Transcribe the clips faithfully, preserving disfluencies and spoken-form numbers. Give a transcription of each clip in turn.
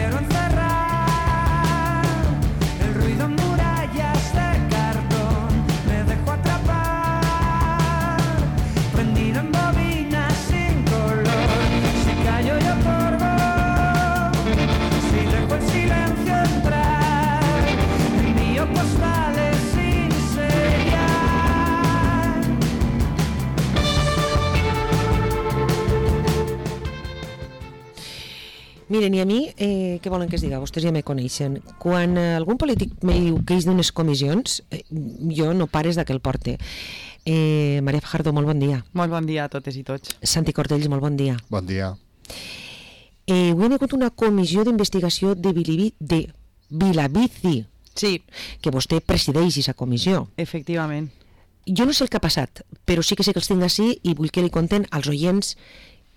quiero encerrar. El ruido en murallas de cartón me dejó atrapar, prendido en bobinas sin color. Si callo yo otorgo, si dejo el silencio entrar, envío postales sin sellar. Miren, i a mi, eh, què volen que es diga? Vostès ja me coneixen. Quan eh, algun polític me diu que és d'unes comissions, eh, jo no pares de que el porte. Eh, Maria Fajardo, molt bon dia. Molt bon dia a totes i tots. Santi Cordells, molt bon dia. Bon dia. Eh, avui hi ha hagut una comissió d'investigació de, Bilibi, de Vilabici, Sí, que vostè presideix aquesta comissió. efectivament. Jo no sé el que ha passat, però sí que sé que els tinc així i vull que li conten als oients,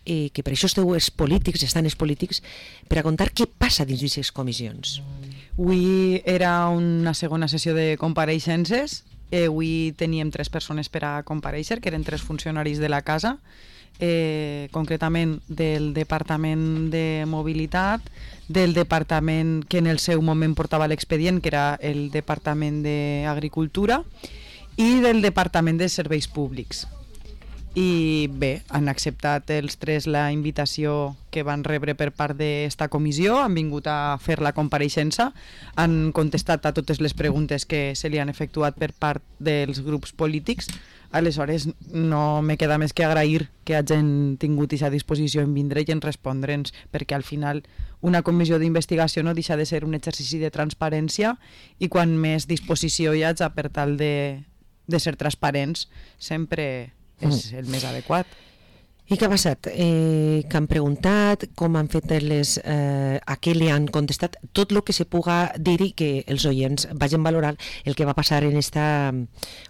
eh, que per això esteu els polítics, estan els polítics, per a contar què passa dins d'aquestes comissions. Avui era una segona sessió de compareixences. Eh, avui teníem tres persones per a compareixer, que eren tres funcionaris de la casa, eh, concretament del Departament de Mobilitat, del departament que en el seu moment portava l'expedient, que era el Departament d'Agricultura, i del Departament de Serveis Públics. I bé, han acceptat els tres la invitació que van rebre per part d'esta comissió, han vingut a fer la compareixença, han contestat a totes les preguntes que se li han efectuat per part dels grups polítics. Aleshores, no me queda més que agrair que hagin tingut aquesta disposició en vindre i en respondre'ns, perquè al final una comissió d'investigació no deixa de ser un exercici de transparència, i quan més disposició hi hagi per tal de, de ser transparents, sempre és el més adequat. I què ha passat? Eh, que han preguntat, com han fet les... Eh, a què li han contestat? Tot el que se puga dir i que els oients vagin valorar el que va passar en esta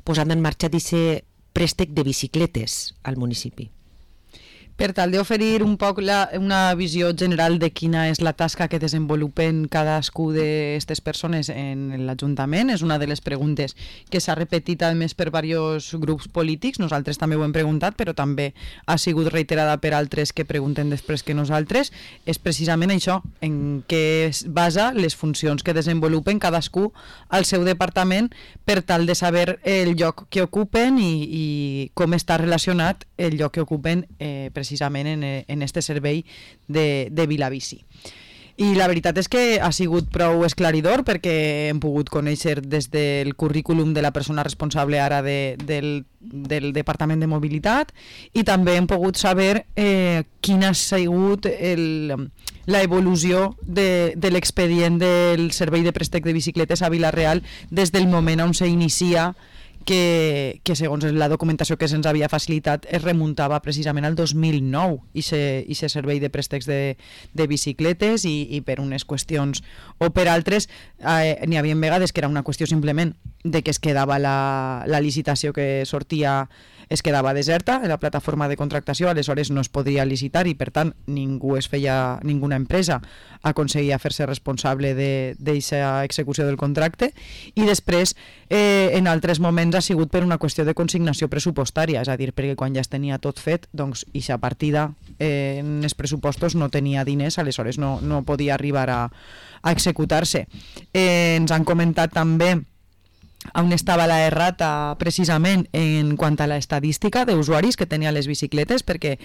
posant en marxa d'aquest préstec de bicicletes al municipi. Per tal d'oferir un poc la, una visió general de quina és la tasca que desenvolupen cadascú d'aquestes persones en l'Ajuntament, és una de les preguntes que s'ha repetit a més per diversos grups polítics. Nosaltres també ho hem preguntat, però també ha sigut reiterada per altres que pregunten després que nosaltres. És precisament això, en què es basa les funcions que desenvolupen cadascú al seu departament, per tal de saber el lloc que ocupen i, i com està relacionat el lloc que ocupen eh, precisament en, en este servei de, de Vilabici. I la veritat és que ha sigut prou esclaridor, perquè hem pogut conèixer des del currículum de la persona responsable ara de, del, del Departament de Mobilitat, i també hem pogut saber eh, quina ha sigut el, la evolució de, de l'expedient del servei de préstec de bicicletes a Vila-real des del moment on s'inicia, que, que segons la documentació que se'ns havia facilitat es remuntava precisament al dos mil nou, i aquest servei de préstecs de, de bicicletes, i, i per unes qüestions o per altres eh, n'hi havia vegades que era una qüestió simplement de que es quedava la, la licitació que sortia, es quedava deserta en la plataforma de contractació, aleshores no es podia licitar i per tant ningú es feia, ninguna empresa aconseguia fer-se responsable d'aquesta execució del contracte, i després eh, en altres moments ha sigut per una qüestió de consignació pressupostària, és a dir, perquè quan ja es tenia tot fet, doncs aquesta partida eh, en els pressupostos no tenia diners, aleshores no, no podia arribar a, a executar-se. Eh, ens han comentat també on estava la errata precisament en quant a l'estadística d'usuaris que tenia les bicicletes, perquè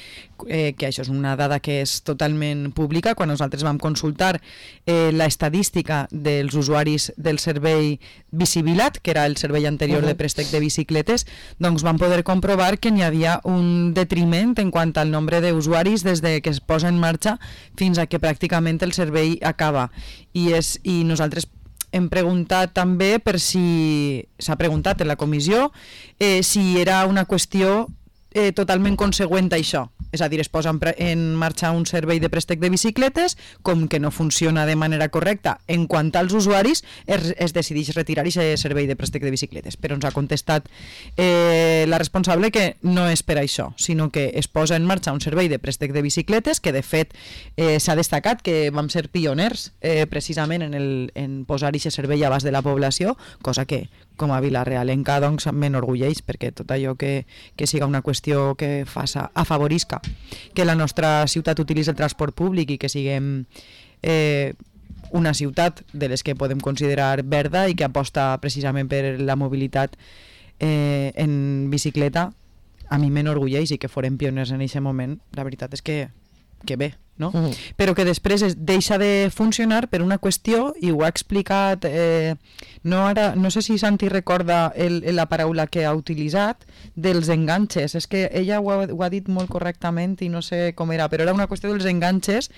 eh, que això és una dada que és totalment pública. Quan nosaltres vam consultar eh, l'estadística dels usuaris del servei Bicivilat, que era el servei anterior uh-huh. de préstec de bicicletes, doncs vam poder comprovar que n'hi havia un detriment en quant al nombre d'usuaris des de que es posa en marxa fins a que pràcticament el servei acaba. I, és, i nosaltres hem preguntat també per si s'ha preguntat en la comissió eh, si era una qüestió eh, totalment consegüent a això. És a dir, es posa en, en marxa un servei de préstec de bicicletes, com que no funciona de manera correcta en quant als usuaris, es, es decideix retirar aquest servei de préstec de bicicletes. Però ens ha contestat eh, la responsable que no és per això, sinó que es posa en marxa un servei de préstec de bicicletes que de fet eh, s'ha destacat que vam ser pioners eh, precisament en, el, en posar aquest servei a abast de la població, cosa que com a vilarealenca doncs m'enorgulleix, perquè tot allò que, que siga una qüestió que faça, afavorisca que la nostra ciutat utilitzi el transport públic i que siguem eh, una ciutat de les que podem considerar verda i que aposta precisament per la mobilitat eh, en bicicleta, a mi m'enorgulleix, i que forem pioners en aquest moment, la veritat és que, que bé, no? Uh -huh. Però que després es deixa de funcionar per una qüestió, i ho ha explicat, eh, no, ara, no sé si Santi recorda el, la paraula que ha utilitzat, dels enganxes. És que ella ho ha, ho ha dit molt correctament i no sé com era, però era una qüestió dels enganxes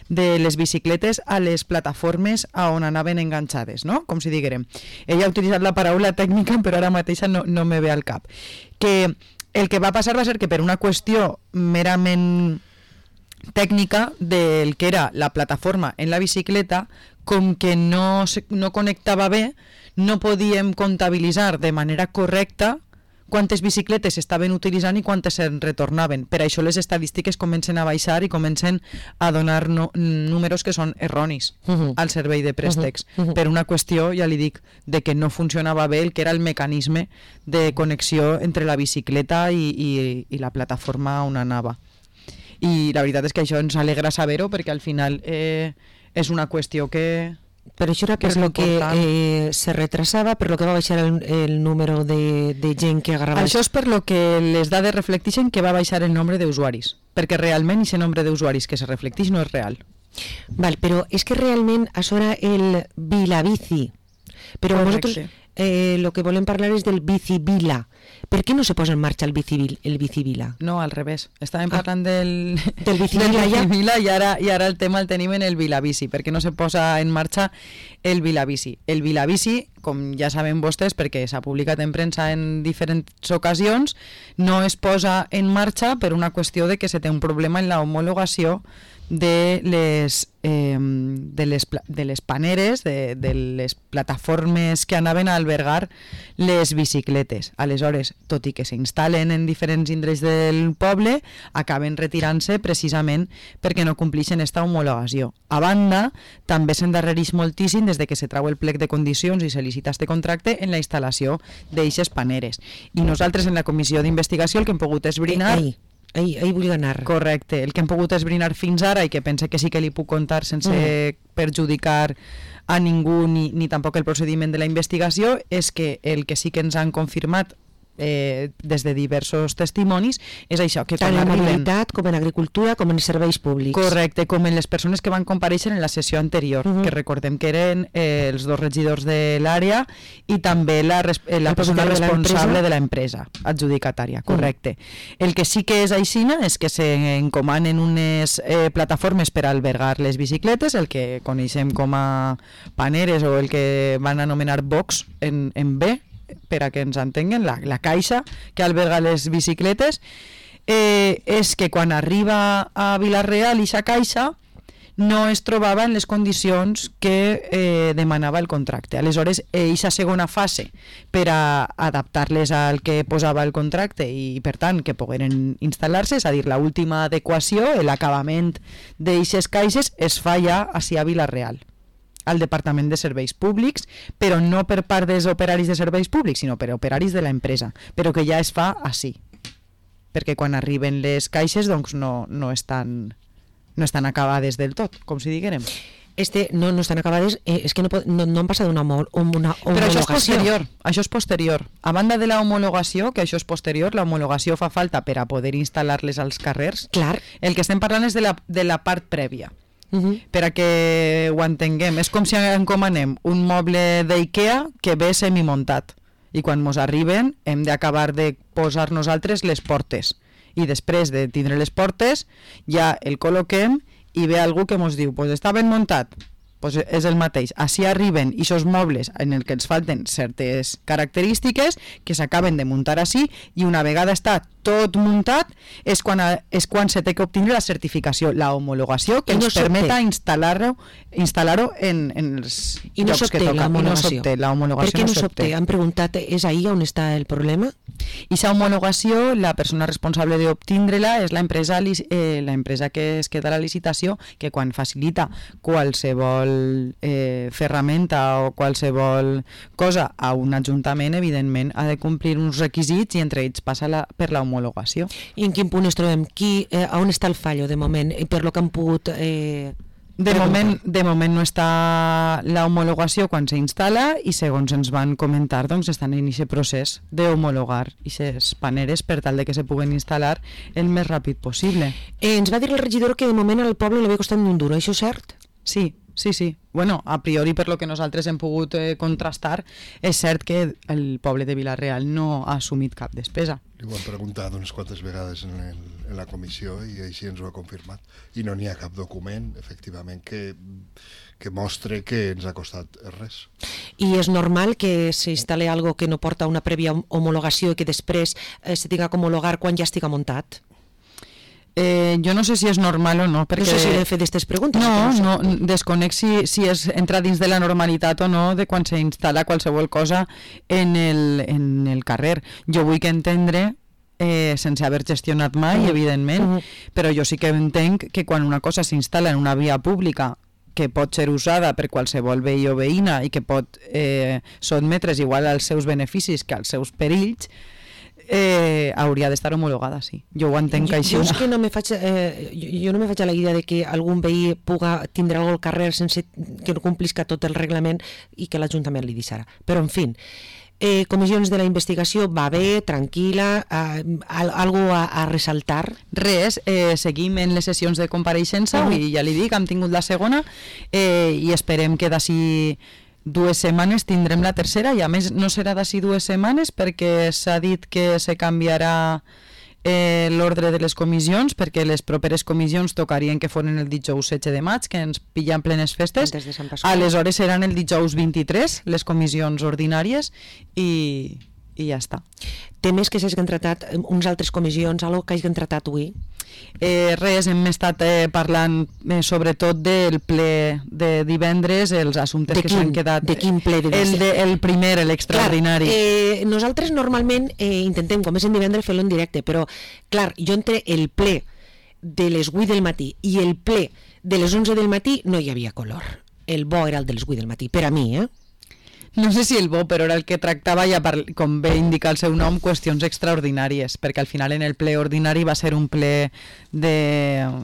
de les bicicletes a les plataformes a on anaven enganxades, no? Com si diguérem. Ella ha utilitzat la paraula tècnica, però ara mateixa no, no me ve al cap. Que el que va passar va ser que per una qüestió merament tècnica del que era la plataforma en la bicicleta, com que no, se, no connectava bé, no podíem comptabilitzar de manera correcta quantes bicicletes estaven utilitzant i quantes se'n retornaven. Per això les estadístiques comencen a baixar i comencen a donar no, números que són erronis uh -huh. al servei de préstecs. Uh -huh. Per una qüestió, ja li dic, de que no funcionava bé el que era el mecanisme de connexió entre la bicicleta i, i, i la plataforma on anava. I la veritat és que això ens alegra saber-ho, perquè al final eh, és una qüestió que... Però això era per lo que eh, se retrasava, per lo que va baixar el, el número de, de gent que agarrava... Això és per lo que les dades reflecteixen que va baixar el nombre d'usuaris, perquè realment aquest nombre d'usuaris que se reflecteix no és real. Val, però és que realment això era el Vilabici, però Correcte. nosaltres eh, lo que volem parlar és del Bicivila. Per què no se posa en marxa el Bicivil, el Bicivila? No, al revés. Estàvem parlant ah, del, del Bicivila, del Bicivila i, ara, i ara el tema el tenim en el Vilabici. Per què no se posa en marxa el Vilabici? El Vilabici, com ja saben vostès, perquè s'ha publicat en premsa en diferents ocasions, no es posa en marxa per una qüestió de que se té un problema en la homologació de les, eh, de les, de les paneres, de, de les plataformes que anaven a albergar les bicicletes. Aleshores, tot i que s'instal·len en diferents indrets del poble, acaben retirant-se precisament perquè no complixen esta homologació. A banda, també s'endarrereix moltíssim des de que se trau el plec de condicions i se licita este contracte en la instal·lació d'eixes paneres. I nosaltres en la comissió d'investigació el que hem pogut esbrinar... Ei, ei. Ahí, ahí vull anar. Correcte, el que hem pogut esbrinar fins ara i que pense que sí que li puc contar sense mm. perjudicar a ningú ni, ni tampoc el procediment de la investigació és que el que sí que ens han confirmat eh, des de diversos testimonis és això, que tant quan en arriben... mobilitat com en agricultura com en serveis públics. Correcte, com en les persones que van comparèixer en la sessió anterior, uh -huh. que recordem que eren eh, els dos regidors de l'àrea i també la, eh, la persona responsable de l'empresa adjudicatària, correcte. Uh -huh. El que sí que és aixina és que s'encomanen unes eh, plataformes per albergar les bicicletes, el que coneixem com a paneres o el que van anomenar box en, en B, per a que ens entenguen, la, la caixa que alberga les bicicletes, eh, és que quan arriba a Vila-real aquesta caixa no es trobava en les condicions que eh, demanava el contracte. Aleshores, aquesta segona fase per a adaptar-les al que posava el contracte i, per tant, que pogueren instal·lar-se, és a dir, l'última adequació, l'acabament d'aquestes caixes, es fa ja a Vila-real, al Departament de Serveis Públics, però no per part dels operaris de serveis públics, sinó per operaris de l'empresa, però que ja es fa així, perquè quan arriben les caixes doncs no, no, estan, no estan acabades del tot, com si diguérem. Este no, no estan acabades, eh, és que no, no, no han passat una, una homologació. Però això és posterior, això és posterior. A banda de la homologació, que això és posterior, la homologació fa falta per a poder instal·lar-les als carrers. Clar. El que estem parlant és de la, de la part prèvia. Uh -huh. Per a que ho entenguem, és com si encomanem un moble d'IKEA que ve semimuntat i quan mos arriben hem d'acabar de posar nosaltres les portes i després de tindre les portes ja el col·loquem i ve algú que mos diu pues està ben muntat, pues és el mateix. Així arriben aquests mobles en el que ens falten certes característiques que s'acaben de muntar així i una vegada està tot muntat és quan, a, és quan se té que obtenir la certificació, la homologació que no ens permeta instal·lar-ho instal·lar-ho en, en els I no llocs que toca. La I no s'obté la homologació. Per què no s'obté? Han preguntat, és ahí on està el problema? I aquesta homologació, la persona responsable d'obtindre-la és l'empresa eh, l'empresa que es queda a la licitació, que quan facilita qualsevol eh, ferramenta o qualsevol cosa a un ajuntament, evidentment ha de complir uns requisits i entre ells passa la, per la homologació. I en quin punt es trobem? Qui, eh, on està el fallo de moment? I per lo que han pogut eh, De moment, de moment no està la homologació quan s'instal·la i segons ens van comentar doncs estan en aquest procés d'homologar aquestes paneres per tal de que se puguen instal·lar el més ràpid possible. Eh, ens va dir el regidor que de moment al poble li havia costat ni un duro, això és cert? Sí, sí, sí. Bueno, a priori per lo que nosaltres hem pogut eh, contrastar, és cert que el poble de Vila-real no ha assumit cap despesa. Li ho hem preguntat unes quantes vegades en, el, en la comissió i així ens ho ha confirmat. I no n'hi ha cap document, efectivament, que, que mostre que ens ha costat res. I és normal que s'instal·li algo que no porta una prèvia homologació i que després eh, se tinga que homologar quan ja estiga muntat? Eh, jo no sé si és normal o no, perquè... No sé si he fet aquestes preguntes. No, no, no, desconec si, si és entra dins de la normalitat o no de quan s'instal·la qualsevol cosa en el, en el carrer. Jo vull que entendre, eh, sense haver gestionat mai, uh-huh. evidentment, uh-huh. però jo sí que entenc que quan una cosa s'instal·la en una via pública que pot ser usada per qualsevol veí o veïna i que pot eh, sotmetre's igual als seus beneficis que als seus perills, Eh, hauria d'estar homologada, sí. Jo ho entenc que així... Jo, jo, és que no me faig, eh, jo, jo no me faig a la idea de que algun veí puga tindre algo al carrer sense que no complisca tot el reglament i que l'Ajuntament li deixarà. Però, en fi, eh, comissions de la investigació va bé, tranquil·la, eh, algo a, a ressaltar? Res, eh, seguim en les sessions de compareixença, uh-huh. i ja li dic, hem tingut la segona, eh, i esperem que d'ací dues setmanes tindrem la tercera, i a més no serà d'ací dues setmanes perquè s'ha dit que se canviarà eh, l'ordre de les comissions, perquè les properes comissions tocarien que foren el dijous setze de maig, que ens pillen plenes festes. Aleshores seran el dijous vint-i-tres les comissions ordinàries i, i ja està. Temes que s'hagin tratat, uns altres comissions, algo que hagin tratat avui? Eh, res, hem estat eh, parlant eh, sobretot del ple de divendres, els assumptes de que quin, s'han quedat. De quin ple? De el, de, el primer, l'extraordinari. Clar, eh, nosaltres normalment eh, intentem, com és en divendres, fer-lo en directe, però clar, jo entre el ple de les vuit del matí i el ple de les onze del matí no hi havia color. El bo era el de les vuit del matí, per a mi, eh? No sé si el bo, però era el que tractava, ja per, com bé indica el seu nom, qüestions extraordinàries, perquè al final en el ple ordinari va ser un ple de,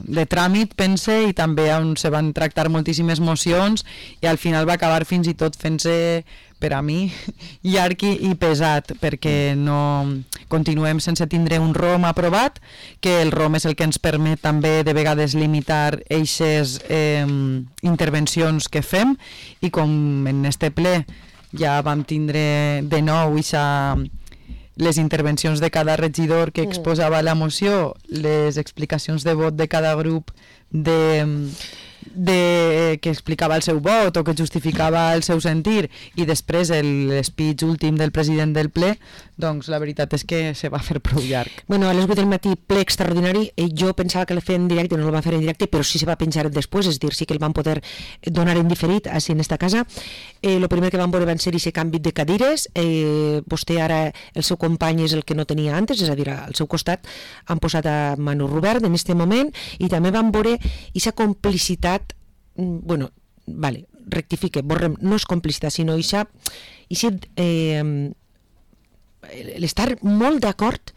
de tràmit, pense, i també on se van tractar moltíssimes mocions, i al final va acabar fins i tot fent-se, per a mi, llarg i pesat, perquè no continuem sense tindre un R O M aprovat, que el R O M és el que ens permet també de vegades limitar eixes eh, intervencions que fem, i com en este ple ja vam tindre de nou ixa, les intervencions de cada regidor que exposava la moció, les explicacions de vot de cada grup de, de, que explicava el seu vot o que justificava el seu sentir, i després l'espeech últim del president del ple, doncs la veritat és que se va fer prou llarg. Bueno, a les vuit del matí, ple extraordinari, eh, jo pensava que el feia en directe, no el va fer en directe, però sí se va penjar després, és dir, sí que el van poder donar en diferit així en esta casa. Eh, lo primer que van veure van ser aquest canvi de cadires, eh, vostè ara, el seu company és el que no tenia antes, és a dir, al seu costat han posat a Manu Robert en este moment, i també van veure aquesta complicitat, bueno, vale, rectifique, borrem, no és complicitat, sinó aquesta, eh, l'estar molt d'acord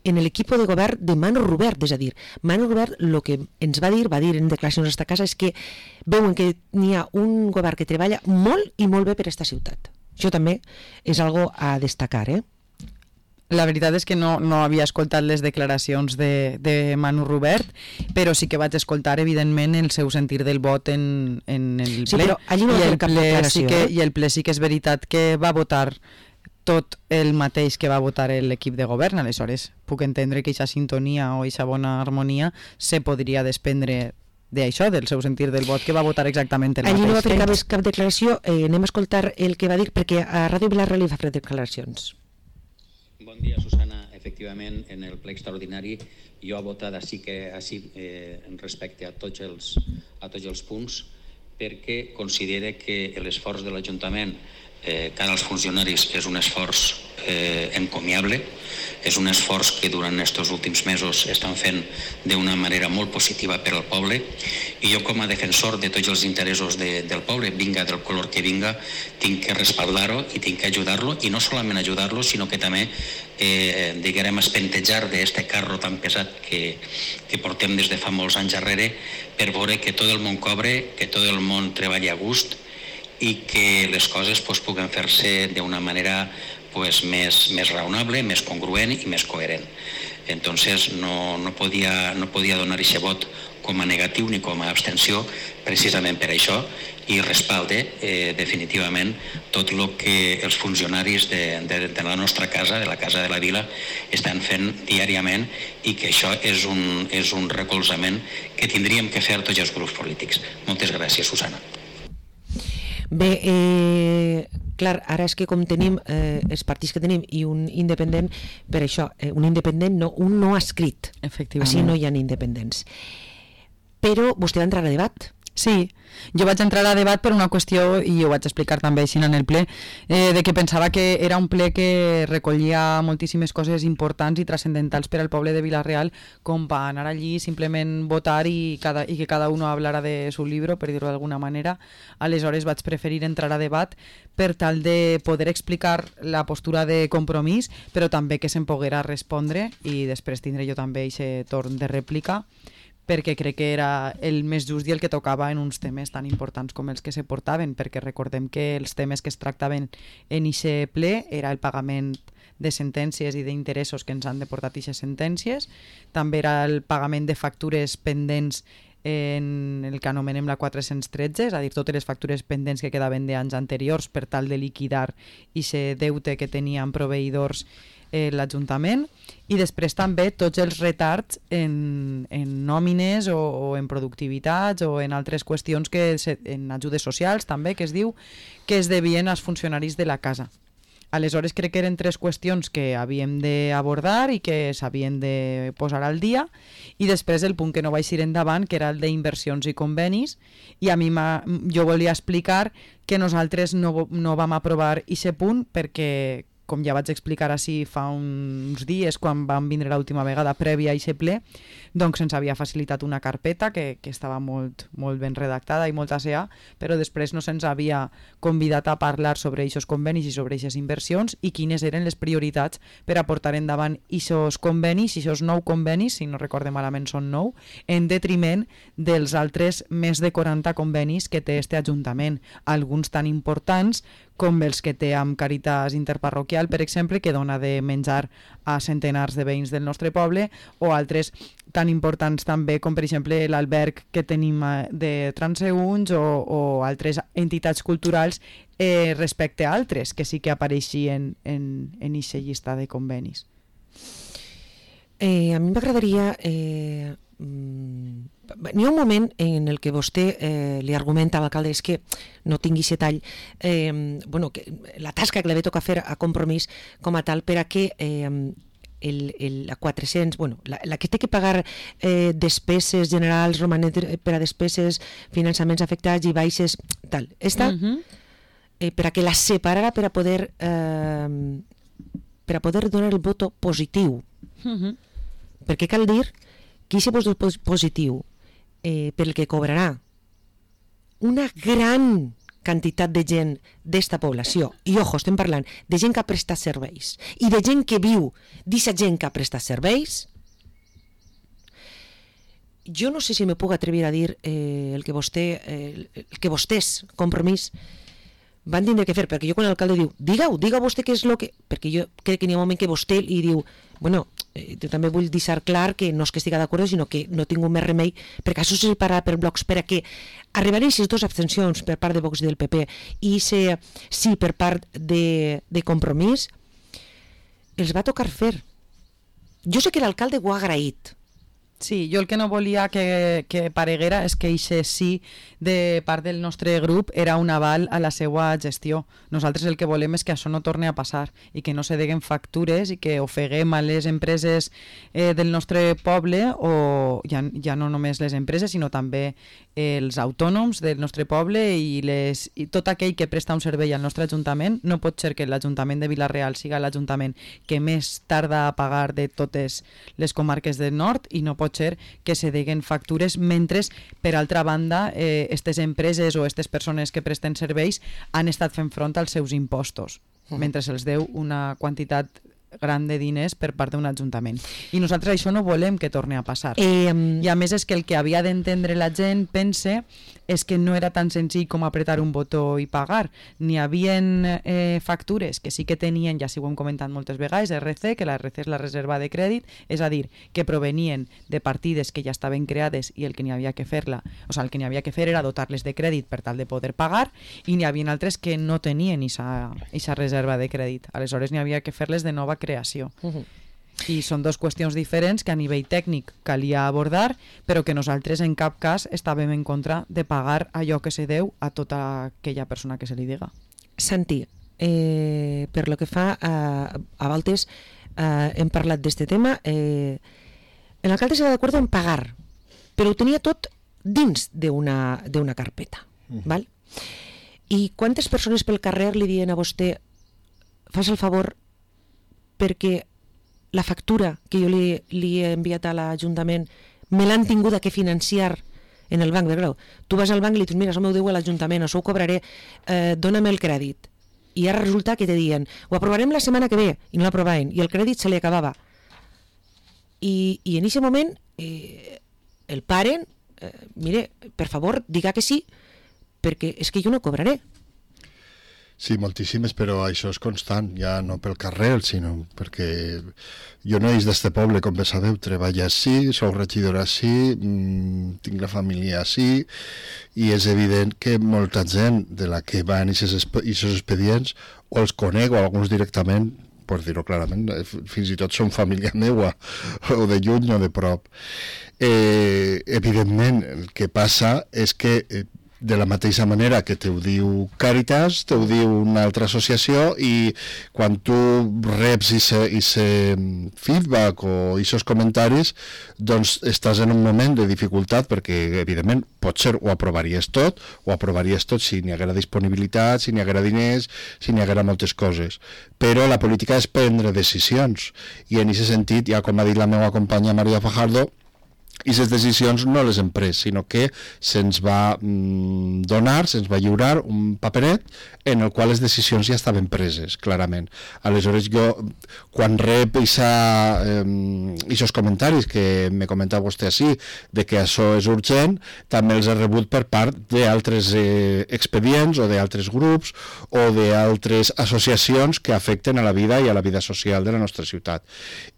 en l'equip de govern de Manu Robert, és a dir, Manu Robert el que ens va dir, va dir en declaracions a esta casa, és que veuen que n'hi ha un govern que treballa molt i molt bé per a esta ciutat. Això també és algo a destacar, eh? La veritat és que no, no havia escoltat les declaracions de, de Manu Robert, però sí que vaig escoltar, evidentment, el seu sentir del vot en, en el ple. Sí, però allí no va fer cap declaració. Sí que, I el ple sí que és veritat que va votar tot el mateix que va votar l'equip de govern, aleshores puc entendre que aquesta sintonia o aquesta bona harmonia se podria desprendre d'això, del seu sentir del vot, que va votar exactament el mateix. Allí no va fer cap, cap declaració, eh, anem a escoltar el que va dir, perquè a Ràdio Vila-real li va fer declaracions. Bon dia, Susana. Efectivament, en el ple extraordinari jo he votat així que així eh, respecte a tots els, a tots els punts, perquè considere que l'esforç de l'Ajuntament eh, cara als funcionaris és un esforç eh, encomiable, és un esforç que durant aquests últims mesos estan fent d'una manera molt positiva per al poble, i jo com a defensor de tots els interessos de, del poble, vinga del color que vinga, tinc que respaldar-ho i tinc que ajudar-lo, i no solament ajudar-lo, sinó que també eh, diguem espentejar d'aquest carro tan pesat que, que portem des de fa molts anys darrere, per veure que tot el món cobre, que tot el món treballa a gust i que les coses pues, puguen fer-se d'una manera pues, més, més raonable, més congruent i més coherent. Entonces no, no podia, no podia donar aquest vot com a negatiu ni com a abstenció, precisament per això, i respalde eh, definitivament tot el que els funcionaris de, de, de la nostra casa, de la Casa de la Vila, estan fent diàriament, i que això és un, és un recolzament que tindríem que fer tots els grups polítics. Moltes gràcies, Susana. Bé, eh, clar, ara és que com tenim eh, els partits que tenim i un independent, per això, eh, un independent no, un no escrit. Efectivament. Així no hi ha independents. Però vostè va entrar a debat. Sí, jo vaig entrar a debat per una qüestió, i ho vaig explicar també així en el ple, eh, de que pensava que era un ple que recollia moltíssimes coses importants i transcendentals per al poble de Vila-real, com per anar allí simplement votar i, cada, i que cada uno hablara de su libro, per dir-ho d'alguna manera. Aleshores vaig preferir entrar a debat per tal de poder explicar la postura de Compromís, però també que se'm poguera respondre, i després tindré jo també aquest torn de rèplica, perquè crec que era el més just i el que tocava en uns temes tan importants com els que se portaven, perquè recordem que els temes que es tractaven en aquest ple era el pagament de sentències i d'interessos que ens han deportat aquestes sentències, també era el pagament de factures pendents en el que anomenem la quatre-cents tretze, és a dir, totes les factures pendents que quedaven d'anys anteriors per tal de liquidar aquest deute que tenien proveïdors eh, l'Ajuntament, i després també tots els retards en, en nòmines o, o en productivitats o en altres qüestions, que se, en ajudes socials també, que es diu, que es devien als funcionaris de la casa. Aleshores crec que eren tres qüestions que havíem d'abordar i que s'havien de posar al dia, i després el punt que no vaig ir endavant, que era el d'inversions i convenis, i a mi jo volia explicar que nosaltres no, no vam aprovar aquest punt perquè, com ja vaig explicar així fa uns dies quan vam vindre l'última vegada prèvia a aquest ple, doncs se'ns havia facilitat una carpeta que, que estava molt, molt ben redactada i molt asseà, però després no se'ns havia convidat a parlar sobre aquests convenis i sobre aquestes inversions i quines eren les prioritats per a portar endavant aquests convenis, aquests nou convenis, si no recordem malament són nou, en detriment dels altres més de quaranta convenis que té este Ajuntament, alguns tan importants com els que té amb Càritas Interparroquial, per exemple, que dona de menjar a centenars de veïns del nostre poble, o altres tan importants també com, per exemple, l'alberg que tenim de transeünts o, o altres entitats culturals eh, respecte a altres que sí que apareixien en aquesta llista de convenis. Eh, a mi m'agradaria... Eh, mm, N'hi ha un moment en el que vostè eh, li argumenta a l'alcalde és que no tingui aquest tall, eh, bueno, que la tasca que li ve tocar fer a Compromís com a tal per a que eh, el, el, la quatre-cents, bueno, la, la que té que pagar eh, despeses generals, romanet per a despeses, finançaments afectats i baixes, tal, esta, uh-huh. eh, per a que la separara per a poder eh, per a poder donar el voto positiu. Uh-huh. Perquè cal dir que aquest vot positiu eh, per el que cobrarà una gran quantitat de gent d'esta població, i ojo, estem parlant de gent que ha prestat serveis i de gent que viu d'aquesta gent que ha prestat serveis, jo no sé si me puc atrevir a dir eh, el que vostè eh, el que vostès, Compromís, van tindre que fer, perquè jo quan l'alcalde diu diga-ho, diga vostè què és el que... perquè jo crec que n'hi ha un moment que vostè li diu bueno, eh, jo també vull deixar clar que no és que estigui d'acord, sinó que no tinc més remei, perquè això se separa per blocs, per a que arribaran aquestes dues abstencions per part de Vox i del P P i se, sí per part de, de Compromís, els va tocar fer. Jo sé que l'alcalde ho ha agraït, Sí, jo el que no volia que, que pareguera és que eixe sí de part del nostre grup era un aval a la seva gestió. Nosaltres el que volem és que això no torni a passar i que no se deguen factures i que ofeguem a les empreses eh, del nostre poble, o ja, ja no només les empreses, sinó també els autònoms del nostre poble i, les, i tot aquell que presta un servei al nostre ajuntament. No pot ser que l'Ajuntament de Vila-real siga l'Ajuntament que més tarda a pagar de totes les comarques del nord i no pot ser que se deguen factures mentre, per altra banda, eh, aquestes empreses o aquestes persones que presten serveis han estat fent front als seus impostos, uh-huh. mentre se'ls deu una quantitat gran de diners per part d'un ajuntament. I nosaltres això no volem que torni a passar. Eh, I a més és que el que havia d'entendre la gent, pense, és que no era tan senzill com apretar un botó i pagar. N'hi havien eh, factures que sí que tenien, ja si ho hem comentat moltes vegades, R C, que la R C és la reserva de crèdit, és a dir, que provenien de partides que ja estaven creades i el que n'hi havia que fer-la, o sigui, el que n'hi havia que fer era dotar-les de crèdit per tal de poder pagar, i n'hi havia altres que no tenien aquesta reserva de crèdit. Aleshores n'hi havia que fer-les de nova creació. Uh-huh. I són dues qüestions diferents que a nivell tècnic calia abordar, però que nosaltres en cap cas estàvem en contra de pagar allò que se deu a tota aquella persona que se li diga. Santi, eh, per lo que fa a, a Valtes, eh, hem parlat d'este tema, eh, l'alcalde s'ha d'acord en pagar, però ho tenia tot dins d'una d'una carpeta, uh-huh. val? I quantes persones pel carrer li diuen a vostè, fas el favor perquè la factura que jo li, li he enviat a l'Ajuntament me l'han tingut que financiar en el banc. Perquè, clar, tu vas al banc i li dius, mira, això m'ho deu a l'Ajuntament, això ho cobraré, eh, dóna'm el crèdit. I ara resulta que te diuen, ho aprovarem la setmana que ve, i no l'aprovaven, i el crèdit se li acabava. I, i en aquest moment eh, el paren, eh, mire, per favor, diga que sí, perquè és que jo no cobraré. Sí, moltíssimes, però això és constant, ja no pel carrer, sinó perquè jo no és d'este poble, com bé sabeu, treballo així, sou regidora així, mmm, tinc la família així, i és evident que molta gent de la que va en aquests expedients, o els conec, o alguns directament, per dir-ho clarament, fins i tot són família meua, o de lluny o de prop. Eh, evidentment, el que passa és que eh, de la mateixa manera que te ho diu Càritas, te ho diu una altra associació, i quan tu reps aquest feedback o aquests comentaris, doncs estàs en un moment de dificultat, perquè evidentment potser ho aprovaries tot, ho aprovaries tot si n'hi haguera disponibilitat, si n'hi haguera diners, si n'hi haguera moltes coses. Però la política és prendre decisions, i en aquest sentit, ja com ha dit la meva companya Maria Fajardo, i aquestes decisions no les hem pres, sinó que se'ns va mm, donar, se'ns va lliurar un paperet en el qual les decisions ja estaven preses, clarament. Aleshores, jo, quan rep aquests eh, comentaris que me comentava vostè així, de que això és urgent, també els he rebut per part d'altres eh, expedients o d'altres grups o d'altres associacions que afecten a la vida i a la vida social de la nostra ciutat.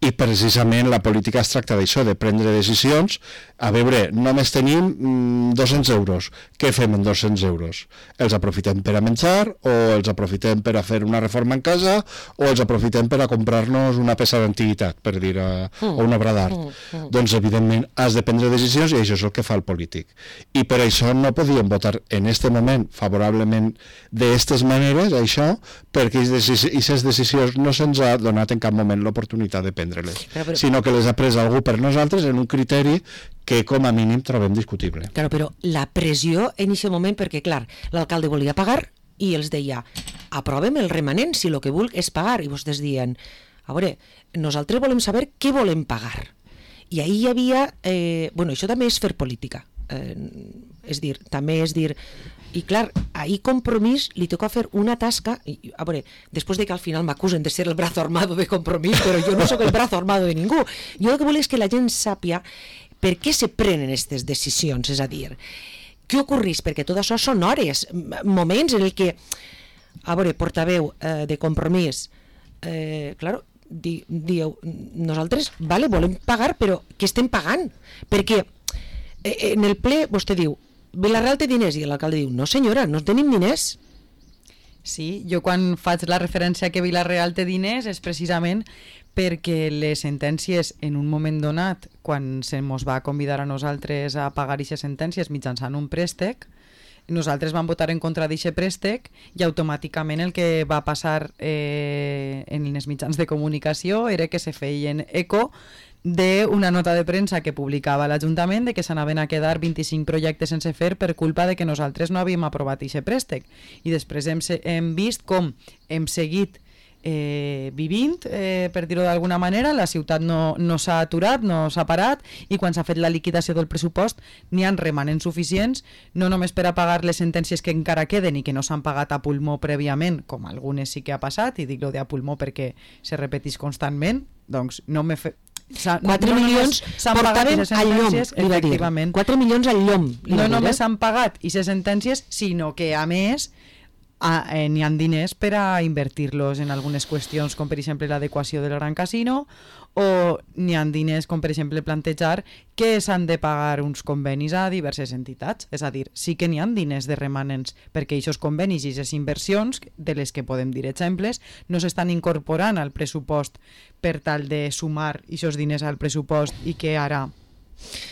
I precisament la política es tracta d'això, de prendre decisions. A veure, només tenim mm, dos-cents euros. Què fem amb dos-cents euros? Els aprofitem per a menjar, o els aprofitem per a fer una reforma en casa, o els aprofitem per a comprar-nos una peça d'antiguitat, per dir, uh, mm. o una obra d'art. Mm. Mm. Doncs, evidentment, has de prendre decisions, i això és el que fa el polític. I per això no podíem votar en este moment favorablement d'aquestes maneres, això, perquè aquestes decisions no se'ns ha donat en cap moment l'oportunitat de prendre-les, però, però... sinó que les ha pres algú per nosaltres en un criteri que com a mínim trobem discutible. Claro, però la pressió en aquest moment, perquè clar, l'alcalde volia pagar i els deia, aprovem el remanent si el que vulc és pagar, i vostès diuen, a veure, nosaltres volem saber què volem pagar. I ahí hi havia, eh, bueno, això també és fer política, eh, és dir, també és dir, i clar, ahí Compromís li toca fer una tasca, i, a veure, després de que al final m'acusen de ser el brazo armado de Compromís, però jo no sóc el brazo armado de ningú. Jo el que vull és que la gent sàpia per què se prenen aquestes decisions, és a dir, què ocorreix? Perquè tot això són hores, moments en el que, a veure, portaveu eh, de Compromís, eh, claro, di, dieu, nosaltres, vale, volem pagar, però què estem pagant? Perquè eh, en el ple vostè diu, Vila-real té diners, i l'alcalde diu, no senyora, no tenim diners. Sí, jo quan faig la referència que Vila-real té diners és precisament perquè les sentències en un moment donat, quan se mos va convidar a nosaltres a pagar aquestes sentències mitjançant un préstec, nosaltres vam votar en contra d'aquest préstec i automàticament el que va passar eh, en els mitjans de comunicació era que se feien eco d'una nota de premsa que publicava l'Ajuntament de que s'anaven a quedar vint-i-cinc projectes sense fer per culpa de que nosaltres no havíem aprovat aquest préstec. I després hem, hem vist com hem seguit eh, vivint, eh, per dir-ho d'alguna manera, la ciutat no, no s'ha aturat, no s'ha parat, i quan s'ha fet la liquidació del pressupost n'hi ha remanents suficients, no només per a pagar les sentències que encara queden i que no s'han pagat a pulmó prèviament, com algunes sí que ha passat, i dic-lo de a pulmó perquè se repeteix constantment, doncs no m'he fet... quatre milions portàvem al llom, li va dir. quatre milions al llom. No només s'han pagat aquestes sentències, sinó que, a més, a, eh, n'hi ha diners per a invertir-los en algunes qüestions, com per exemple l'adequació del Gran Casino, o n'hi ha diners com per exemple plantejar que s'han de pagar uns convenis a diverses entitats. És a dir, sí que n'hi ha diners de remanents perquè aquests convenis i aquestes inversions, de les que podem dir exemples, no s'estan incorporant al pressupost per tal de sumar aquests diners al pressupost i que ara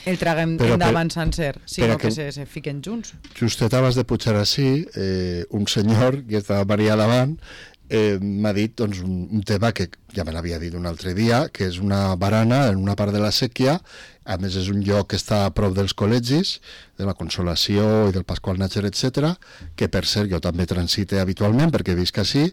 el traguem Però endavant per, sencer, sinó que, que se, se fiquen junts. Justet abans de pujar així, eh, un senyor que estava Maria davant eh, m'ha dit doncs, un, un tema que ja me l'havia dit un altre dia, que és una barana en una part de la sèquia. A més és un lloc que està a prop dels col·legis, de la Consolació i del Pasqual Natger, etcètera, que per cert jo també transite habitualment perquè visc així,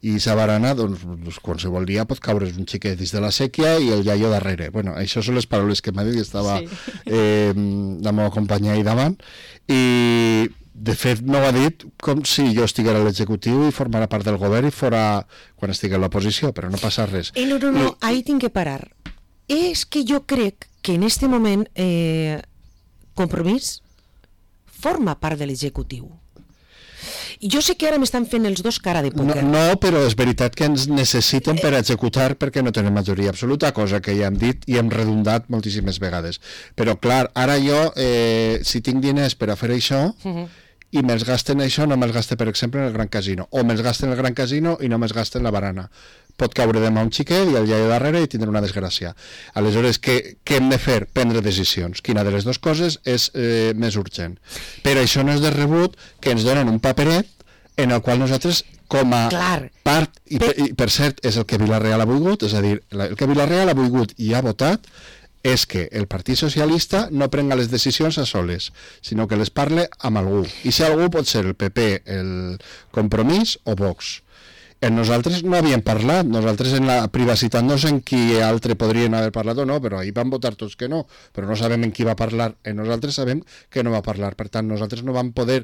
i sa barana doncs, doncs qualsevol dia pot caure's un xiquet dins de la sèquia i el iaio darrere. Bueno, això són les paraules que m'ha dit, estava sí. eh, la meva companya ahí davant, i de fet no ho ha dit com si jo estiguera a l'executiu i formara part del govern i fora quan estigui a l'oposició, però no passa res. Eh, no, no, no, ahí tinc que parar. És que jo crec que en este moment eh, Compromís forma part de l'executiu. Jo sé que ara m'estan fent els dos cara de pòquer. No, no, però és veritat que ens necessiten per executar perquè no tenen majoria absoluta, cosa que ja hem dit i hem redundat moltíssimes vegades. Però clar, ara jo, eh, si tinc diners per a fer això, uh-huh. i me'ls gasten això, no me'ls gaste, per exemple, en el Gran Casino. O me'ls gasten en el Gran Casino i no me'ls gasten en la barana. Pot caure demà un xiquet i el iaio darrere i tindrà una desgràcia. Aleshores, què, què hem de fer? Prendre decisions. Quina de les dues coses és eh, més urgent? Però això no és de rebut que ens donen un paperet en el qual nosaltres, com a Clar. part, i per, i per cert, és el que Vila-real ha volgut, és a dir, el que Vila-real ha volgut i ha votat, és que el Partit Socialista no prenga les decisions a soles, sinó que les parle amb algú. I si algú pot ser el P P, el Compromís o Vox. En nosaltres no havíem parlat, nosaltres en la privacitat no sé en qui altre podrien haver parlat o no, però ahir van votar tots que no, però no sabem en qui va parlar, en nosaltres sabem que no va parlar, per tant nosaltres no vam poder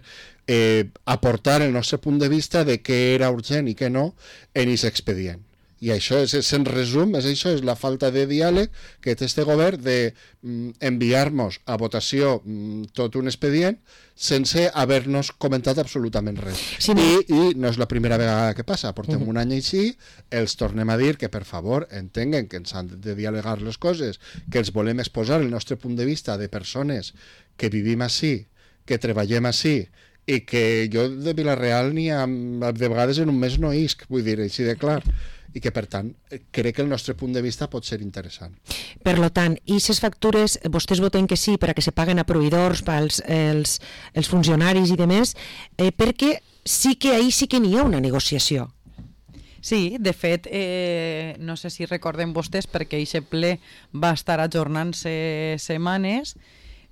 eh, aportar el nostre punt de vista de què era urgent i què no en aquest expedient. I això, és, és, en resum, és això, és la falta de diàleg que té este govern de mm, enviar-nos a votació mm, tot un expedient sense haver-nos comentat absolutament res. Sí, no. I, I no és la primera vegada que passa, portem uh-huh. un any així, els tornem a dir que per favor entenguen que ens han de dialogar les coses, que els volem exposar el nostre punt de vista de persones que vivim així, que treballem així, i que jo de Vila-real ni ha, de vegades en un mes no isc, vull dir, així de clar, i que per tant crec que el nostre punt de vista pot ser interessant. Per lo tant, i aquestes factures vostès voten que sí per a que se paguen a proveïdors, pels els, els funcionaris i demés, eh, perquè sí que ahí sí que n'hi ha una negociació. Sí, de fet, eh, no sé si recorden vostès perquè aquest ple va estar ajornant-se setmanes.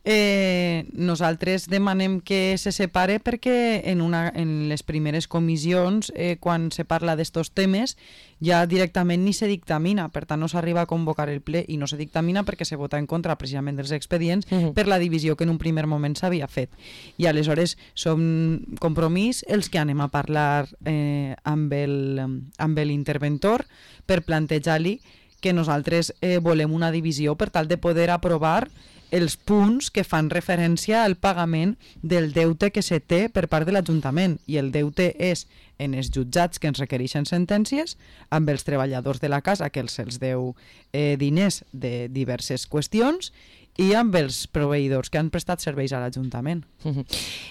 Eh, nosaltres demanem que se separe perquè en, una, en les primeres comissions, eh, quan se parla d'estos temes, ja directament ni se dictamina, per tant no s'arriba a convocar el ple i no se dictamina perquè se vota en contra precisament dels expedients uh-huh. per la divisió que en un primer moment s'havia fet. I aleshores som Compromís els que anem a parlar eh, amb el, amb l'interventor per plantejar-li que nosaltres eh, volem una divisió per tal de poder aprovar els punts que fan referència al pagament del deute que se té per part de l'Ajuntament, i el deute és en els jutjats que ens requereixen sentències, amb els treballadors de la casa que els se'ls deu eh, diners de diverses qüestions, i amb els proveïdors que han prestat serveis a l'Ajuntament. Uh-huh.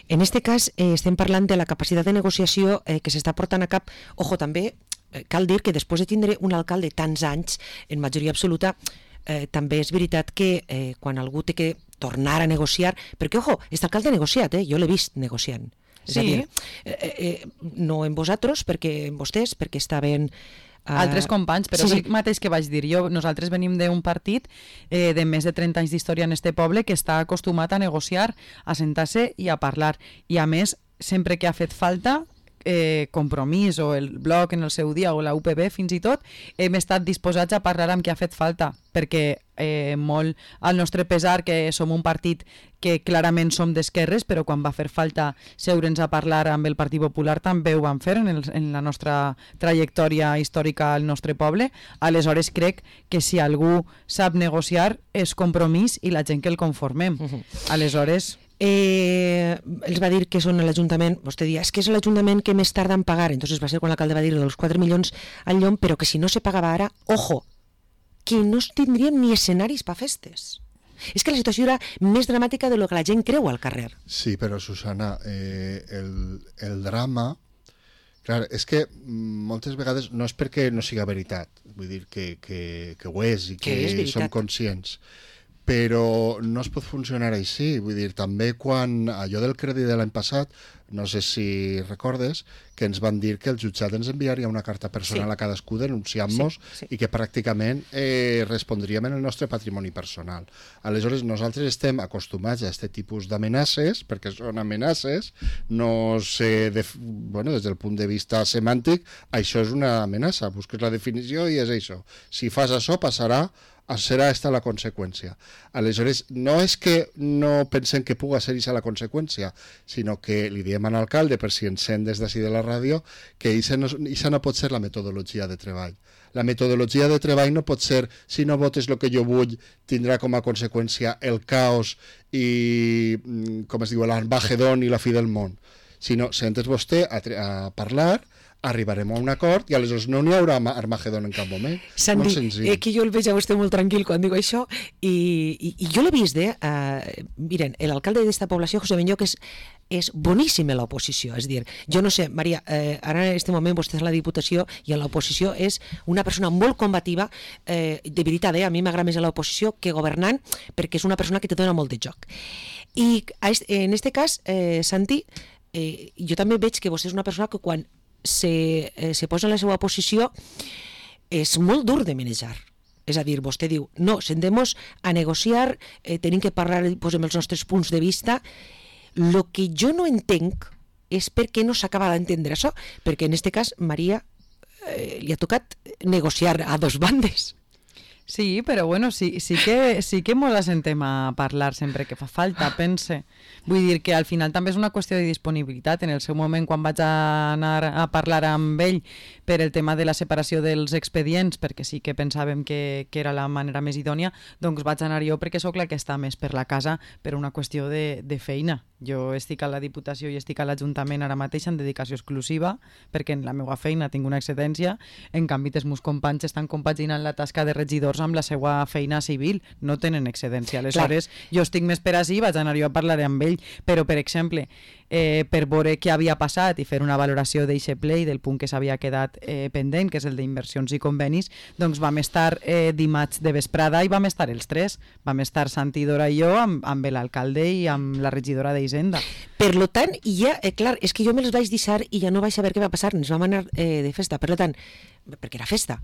En este cas eh, estem parlant de la capacitat de negociació eh, que s'està portant a cap. Ojo, també eh, cal dir que després de tindre un alcalde tants anys, en majoria absoluta, eh, també és veritat que eh, quan algú té que tornar a negociar, perquè, ojo, aquest alcalde ha negociat, eh? Jo l'he vist negociant. És Sí. a dir, eh, eh, no en vosaltres, perquè en vostès, perquè estaven... eh, Altres companys, però sí, és sí. el mateix que vaig dir jo. Nosaltres venim d'un partit eh, de més de trenta anys d'història en este poble que està acostumat a negociar, a sentar-se i a parlar. I a més, sempre que ha fet falta, eh, Compromís o el Bloc en el seu dia o la U P B fins i tot, hem estat disposats a parlar amb qui ha fet falta, perquè eh, molt al nostre pesar que som un partit que clarament som d'esquerres, però quan va fer falta seure'ns a parlar amb el Partit Popular també ho vam fer en, el, en la nostra trajectòria històrica al nostre poble. Aleshores crec que si algú sap negociar és Compromís i la gent que el conformem. Uh-huh. Aleshores... Eh, els va dir que són a l'Ajuntament, vostè dia, és que és l'Ajuntament que més tarda en pagar, entonces va ser quan l'alcalde va dir dels quatre milions al llom, però que si no se pagava ara, ojo, que no tindríem ni escenaris per festes. És que la situació era més dramàtica de lo que la gent creu al carrer. Sí, però Susana, eh, el, el drama... Clar, és que moltes vegades no és perquè no siga veritat, vull dir que, que, que ho és i que, Que és som veritat. conscients, però no es pot funcionar així. Vull dir, també quan allò del crèdit de l'any passat, no sé si recordes, que ens van dir que el jutjat ens enviaria una carta personal Sí. a cadascú denunciant-nos Sí, sí. i que pràcticament eh, respondríem en el nostre patrimoni personal. Aleshores, nosaltres estem acostumats a aquest tipus d'amenaces, perquè són amenaces, no sé, de, bueno, des del punt de vista semàntic, això és una amenaça, busques la definició i és això. Si fas això, passarà, serà esta la conseqüència. Aleshores, no és que no pensem que puga ser aquesta la conseqüència, sinó que li diem a l'alcalde, per si ens sent des d'ací de la ràdio, que aquesta no, no pot ser la metodologia de treball. La metodologia de treball no pot ser, si no votes el que jo vull, tindrà com a conseqüència el caos i, com es diu, l'Armagedon i la fi del món. Sinó, sentes vostè a, a parlar, arribarem a un acord i aleshores no n'hi haurà Armagedon en cap moment. Sandy, molt senzill. eh, que jo el veig a vostè molt tranquil quan digo això i, i, i jo l'he vist, eh? Uh, miren, l'alcalde d'esta població, José Benlloc, és, és boníssim a l'oposició, és dir, jo no sé, Maria, eh, ara en aquest moment vostè és a la Diputació i a l'oposició és una persona molt combativa, eh, de veritat, eh? A mi m'agrada més a l'oposició que governant, perquè és una persona que te dona molt de joc. I a est, en este cas, eh, Santi, eh, jo també veig que vostè és una persona que quan se, eh, se posa en la seva posició és molt dur de manejar. És a dir, vostè diu, no, sentem-nos a negociar, eh, tenim que parlar, posem els nostres punts de vista. Lo que jo no entenc és per què no s'acaba d'entendre això, perquè en este cas, Maria, eh, li ha tocat negociar a dos bandes. Sí, però bueno, sí, sí que, sí que mos assentem a parlar sempre que fa falta, pense. Vull dir que al final també és una qüestió de disponibilitat. En el seu moment, quan vaig anar a parlar amb ell per el tema de la separació dels expedients, perquè sí que pensàvem que, que era la manera més idònia, doncs vaig anar jo perquè sóc la que està més per la casa per una qüestió de, de feina. Jo estic a la Diputació i estic a l'Ajuntament ara mateix en dedicació exclusiva, perquè en la meva feina tinc una excedència, en canvi els meus companys estan compaginant la tasca de regidors amb la seva feina civil, no tenen excedència. Aleshores, clar, jo estic més per ací, vaig anar jo a parlar amb ell, però, per exemple, eh, per veure què havia passat i fer una valoració d'eixe ple i del punt que s'havia quedat eh, pendent, que és el d'inversions i convenis, doncs vam estar eh, dimarts de vesprada i vam estar els tres. Vam estar Santi, Dora i jo amb, amb l'alcalde i amb la regidora d'Hisenda. Per lo tant, ja, eh, clar, és que jo me'ls vaig deixar i ja no vaig saber què va passar, ens vam anar eh, de festa, per lo tant, perquè era festa.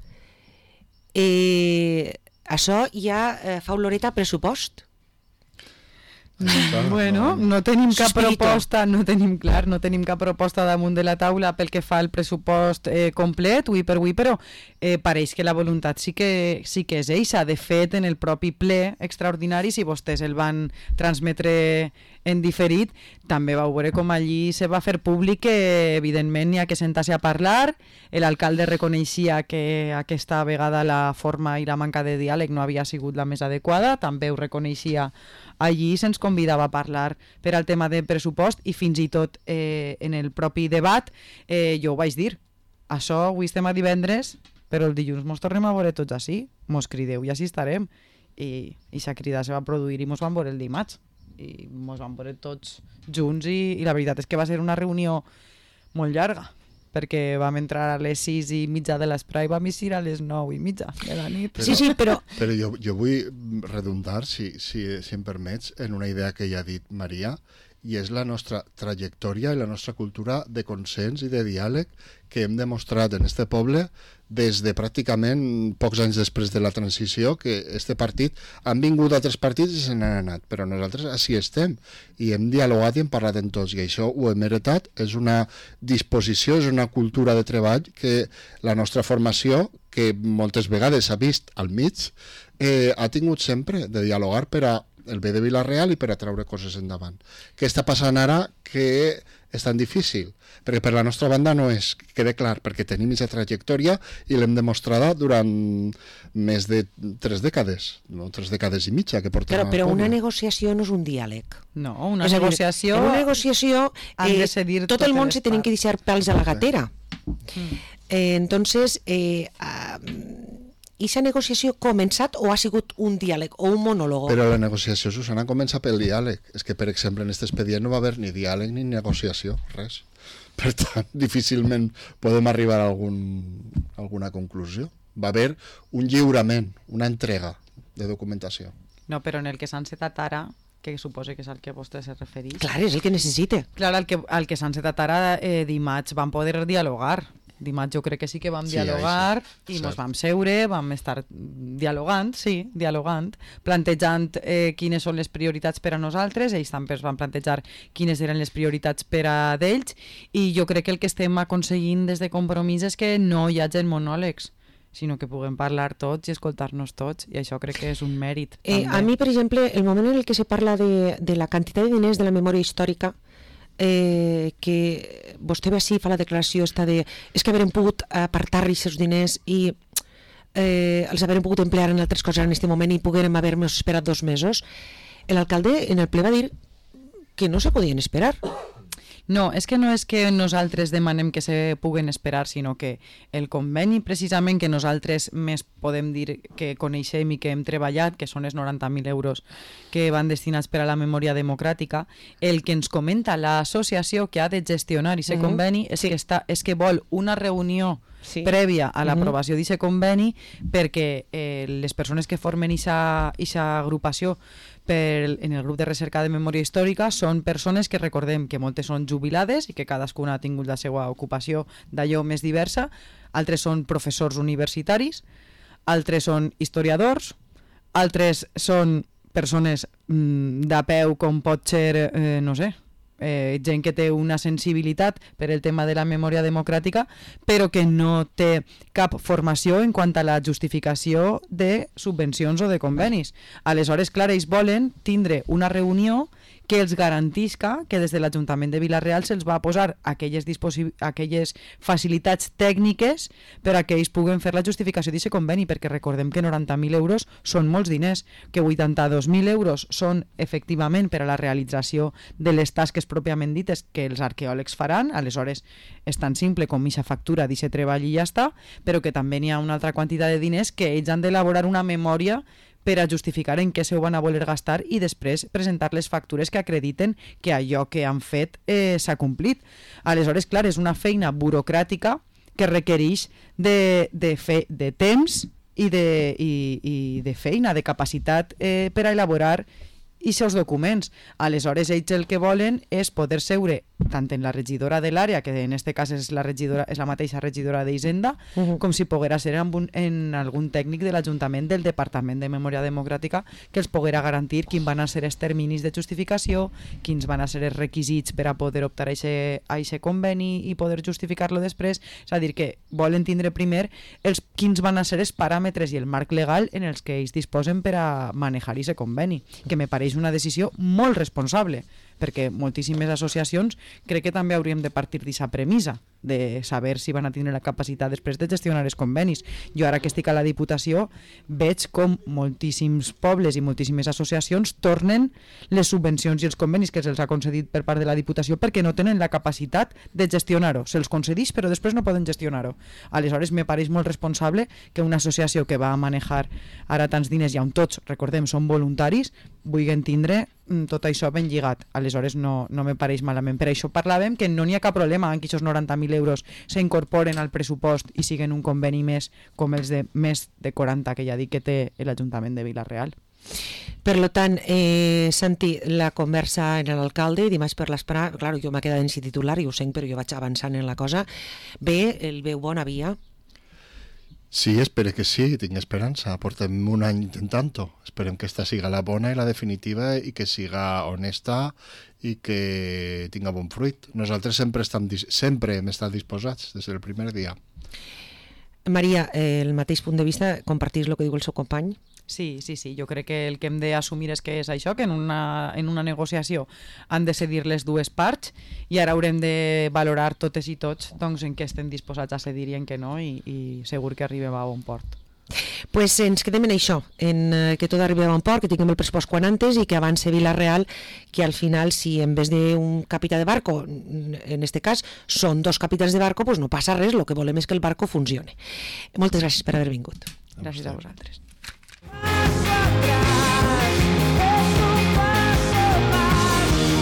Eh, això ja eh, fa oloreta a pressupost. Això, Bueno, no tenim cap Suspirito. proposta, no tenim clar, no tenim cap proposta damunt de la taula pel que fa al pressupost eh, complet, ui per ui, però eh, pareix que la voluntat sí que, sí que és eixa. De fet, en el propi ple extraordinari, si vostès el van transmetre en diferit, també vau veure com allí se va fer públic que evidentment n'hi ha que sentar-se a parlar. L'alcalde reconeixia que aquesta vegada la forma i la manca de diàleg no havia sigut la més adequada, també ho reconeixia allí, se'ns convidava a parlar per al tema de pressupost i fins i tot eh, en el propi debat eh, jo ho vaig dir, això avui estem a divendres, però el dilluns mos tornem a veure tots així, mos crideu i així estarem. i aquesta crida se va produir i mos van veure el dimarts i mos van veure tots junts i, i la veritat és que va ser una reunió molt llarga, perquè vam entrar a les sis i mitja de l'esprai i vam eixir a les nou i mitja de la nit. Però, sí, sí, però... Però jo, jo vull redundar, si, si, si em permets, en una idea que ja ha dit Maria, i és la nostra trajectòria i la nostra cultura de consens i de diàleg que hem demostrat en este poble des de pràcticament pocs anys després de la transició, que este partit han vingut altres partits i se n'han anat, però nosaltres així estem i hem dialogat i hem parlat en tots i això ho hem heretat, és una disposició, és una cultura de treball que la nostra formació, que moltes vegades s'ha vist al mig, eh, ha tingut sempre de dialogar per a el bé de Vila-real i per a treure coses endavant. Què està passant ara que és tan difícil? Perquè per la nostra banda no és, quede clar, perquè tenim aquesta trajectòria i l'hem demostrada durant més de tres dècades, no? Tres dècades i mitja que portem. Però, però una negociació no és un diàleg. No, una és negociació... En una negociació eh, tot el món se tenen que deixar pèls a la gatera. Mm. Eh, entonces, eh, uh, i aquesta negociació ha començat o ha sigut un diàleg o un monòleg? Però la negociació, Susana, comença pel diàleg. És que, per exemple, en aquest expedient no va haver ni diàleg ni negociació, res. Per tant, difícilment podem arribar a algun, alguna conclusió. Va haver un lliurament, una entrega de documentació. No, però en el que s'ha encetat ara, que suposo que és al que vostè se refereix... Clar, és el que necessita. Clar, al que, al que s'ha encetat ara, eh, dimarts van poder dialogar. Dimarts jo crec que sí que vam sí, dialogar sí, i ens vam seure, vam estar dialogant, sí, dialogant, plantejant eh, quines són les prioritats per a nosaltres, ells també van plantejar quines eren les prioritats per a d'ells i jo crec que el que estem aconseguint des de Compromís és que no hi hagi monòlegs, sinó que puguem parlar tots i escoltar-nos tots, i això crec que és un mèrit. Eh, a mi, per exemple, el moment en el que se parla de, de la quantitat de diners de la memòria històrica, Eh, que vostè ve així, fa la declaració esta de és que haurem pogut apartar aquests diners i eh, els haurem pogut emplear en altres coses en aquest moment i poguérem haver-nos esperat dos mesos. L'alcalde en el ple va dir que no se podien esperar. No, és que no és que nosaltres demanem que se puguen esperar, sinó que el conveni precisament que nosaltres més podem dir que coneixem i que hem treballat, que són els noranta mil euros que van destinats per a la memòria democràtica, el que ens comenta l'associació que ha de gestionar aquest uh-huh. conveni és, sí. que està, és que vol una reunió sí. prèvia a l'aprovació uh-huh. d'aquest conveni perquè eh, les persones que formen aquesta agrupació per, en el grup de recerca de memòria històrica són persones que recordem que moltes són jubilades i que cadascuna ha tingut la seva ocupació d'allò més diversa, altres són professors universitaris, altres són historiadors, altres són persones mm, de peu com pot ser, eh, no sé, eh, gent que té una sensibilitat per el tema de la memòria democràtica, però que no té cap formació en quant a la justificació de subvencions o de convenis. Aleshores, clar, ells volen tindre una reunió que els garantisca que des de l'Ajuntament de Vila-real se'ls va posar aquelles, aquelles facilitats tècniques per a que ells puguen fer la justificació d'aquest conveni, perquè recordem que noranta mil euros són molts diners, que vuitanta-dos mil euros són efectivament per a la realització de les tasques pròpiament dites que els arqueòlegs faran, aleshores és tan simple com aquesta factura d'aquest treball i ja està, però que també n'hi ha una altra quantitat de diners que ells han d'elaborar una memòria per a justificar en què se ho van a voler gastar i després presentar les factures que acrediten que allò que han fet eh, s'ha complit. Aleshores, clar, és una feina burocràtica que requereix de, de, fe, de temps i de, i, i de feina, de capacitat eh, per a elaborar aquests documents. Aleshores, ells el que volen és poder seure tant en la regidora de l'àrea, que en aquest cas és la, regidora, és la mateixa regidora d'Hisenda, uh-huh. com si poguera ser en, un, en algun tècnic de l'Ajuntament del Departament de Memòria Democràtica que els poguera garantir quins van a ser els terminis de justificació, quins van a ser els requisits per a poder optar a aquest conveni i poder justificar-lo després. És a dir, que volen tindre primer els, quins van a ser els paràmetres i el marc legal en els que ells disposen per a manejar aquest conveni, que me pareix una decisió molt responsable, perquè moltíssimes associacions crec que també hauríem de partir d'aquesta premissa. de saber si van a tindre la capacitat després de gestionar els convenis. Jo ara que estic a la Diputació veig com moltíssims pobles i moltíssimes associacions tornen les subvencions i els convenis que se'ls ha concedit per part de la Diputació perquè no tenen la capacitat de gestionar-ho. Se'ls concedeix però després no poden gestionar-ho. Aleshores me pareix molt responsable que una associació que va a manejar ara tants diners i on tots, recordem, són voluntaris, vulguin tindre tot això ben lligat. Aleshores no, no me pareix malament. Per això parlàvem que no n'hi ha cap problema en que aquests noranta mil euros s'incorporen al pressupost i siguen un conveni més com els de més de quaranta que ja dic que té l'Ajuntament de Vila-real. Per lo tant, eh, Santi, la conversa en l'alcalde dimarts per l'esprà, clar, jo m'he quedat en si titular i ho sé, però jo vaig avançant en la cosa. Bé, el veu bona via. Sí, espero que sí, tinc esperança. Portem un any intentant-ho. Esperem que esta siga la bona i la definitiva i que siga honesta i que tinga bon fruit. Nosaltres sempre, estem, sempre hem estat disposats des del primer dia. Maria, eh, el mateix punt de vista, compartís el que diu el seu company? Sí, sí, sí, jo crec que el que hem d'assumir és que és això, que en una, en una negociació han de cedir les dues parts i ara haurem de valorar totes i tots doncs, en què estem disposats a cedir i en què no i, i segur que arribem a bon port. Pues ens quedem en això, en eh, que tot arribi a bon port, que tinguem el pressupost quan antes i que avance Vila-real, que al final si en vez d'un capità de barco, en este cas són dos capitans de barco, pues no passa res, el que volem és que el barco funcione. Moltes gràcies per haver vingut. Gràcies a vosaltres. Hacia atrás.